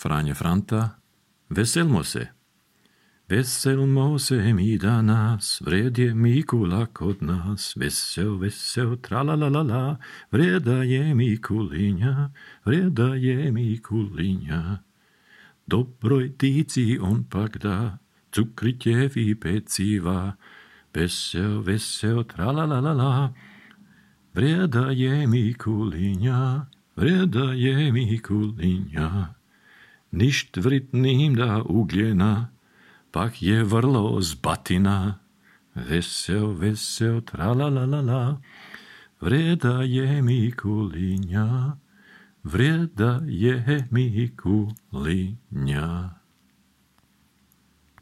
Fráňa Franta, veselmo se. Veselmo se mi danas, vred je Mikulak od nás. Vesel, vesel, tralalalala, vreda je Mikuliňa, vreda je Mikuliňa. Dobroj tíci on pak dá, cukritě peciva. Vesel, vesel, tralalalala, vreda je Mikuliňa, vreda je Mikuliňa. Ništ vritným dá ugljena, pak je vrlo z batina. Vesel, vesel, tralalalala, vreda je Mikuliňa, vreda je Mikuliňa.